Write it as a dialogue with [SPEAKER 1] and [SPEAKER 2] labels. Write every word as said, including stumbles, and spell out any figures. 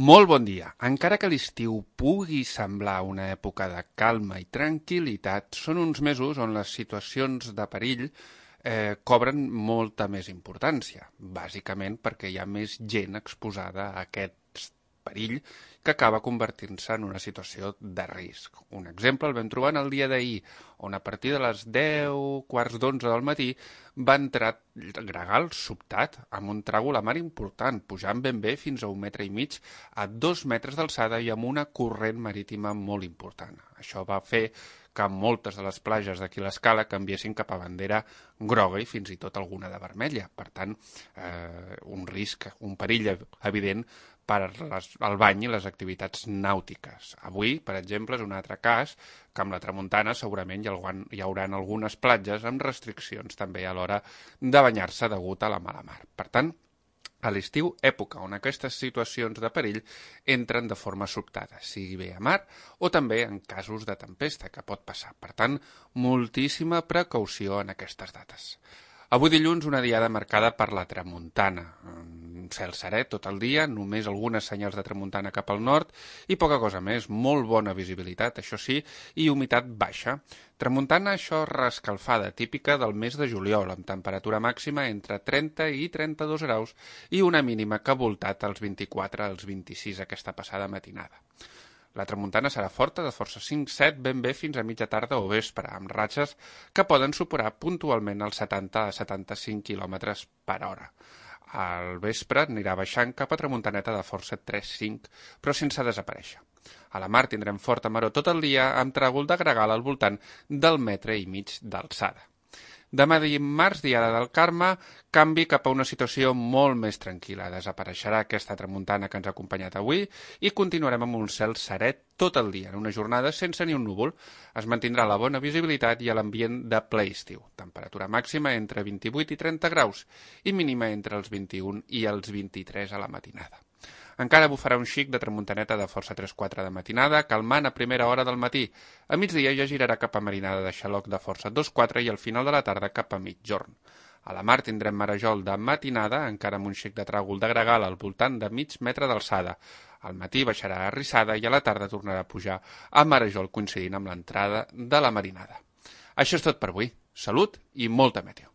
[SPEAKER 1] Molt bon dia. Encara que l'estiu pugui semblar una època de calma i tranquil·litat, són uns mesos on les situacions de perill eh, cobren molta més importància, bàsicament perquè hi ha més gent exposada a aquest perill que acaba convertint-se en una situació de risc. Un exemple el vam trobar en el dia d'ahir, on a partir de les deu, quarts d'onze del matí va entrar gregal sobtat amb un tràgol a mar important, pujant ben bé fins a un metre i mig a dos metres d'alçada i amb una corrent marítima molt important. Això va fer que moltes de les platges d'aquí l'Escala canviessin cap a bandera groga i fins i tot alguna de vermella. Per tant, eh, un risc, un perill evident per les, el bany i les activitats nàutiques. Avui, per exemple, és un altre cas que amb la tramuntana segurament hi, ha, hi haurà algunes platges amb restriccions també a l'hora de banyar-se degut a la mala mar. Per tant, a l'estiu, època on aquestes situacions de perill entren de forma sobtada, sigui bé a mar o també en casos de tempesta que pot passar. Per tant, moltíssima precaució en aquestes dates. Avui dilluns una diada marcada per la tramuntana. Un cel serè tot el dia, només algunes senyals de tramuntana cap al nord i poca cosa més, molt bona visibilitat, això sí, i humitat baixa. Tramuntana, això reescalfada, típica del mes de juliol, amb temperatura màxima entre trenta i trenta-dos graus i una mínima que ha voltat als vint-i-quatre als vint-i-sis aquesta passada matinada. La tramuntana serà forta, de força cinc set, ben bé fins a mitja tarda o vespre, amb ratxes que poden superar puntualment els setanta a setanta-cinc quilòmetres per hora. Al vespre anirà baixant cap a tramuntaneta de força tres cinc, però sense desaparèixer. A la mar tindrem forta maror tot el dia amb tràgol de gregal al voltant del metre i mig d'alçada. Demà dimarts, diada del Carme, canvi cap a una situació molt més tranquil·la. Desapareixerà aquesta tramuntana que ens ha acompanyat avui i continuarem amb un cel serè tot el dia, en una jornada sense ni un núvol. Es mantindrà la bona visibilitat i l'ambient de ple estiu. Temperatura màxima entre vint-i-vuit i trenta graus i mínima entre els vint-i-un i els vint-i-tres a la matinada. Encara bufarà un xic de tramuntaneta de força tres quatre de matinada, calmant a primera hora del matí. A migdia ja girarà cap a marinada de xaloc de força dos quatre i al final de la tarda cap a mitjorn. A la mar tindrem marejol de matinada, encara amb un xic de tràgol de gregal al voltant de mig metre d'alçada. Al matí baixarà a rissada i a la tarda tornarà a pujar a marejol coincidint amb l'entrada de la marinada. Això és tot per avui. Salut i molta meteo.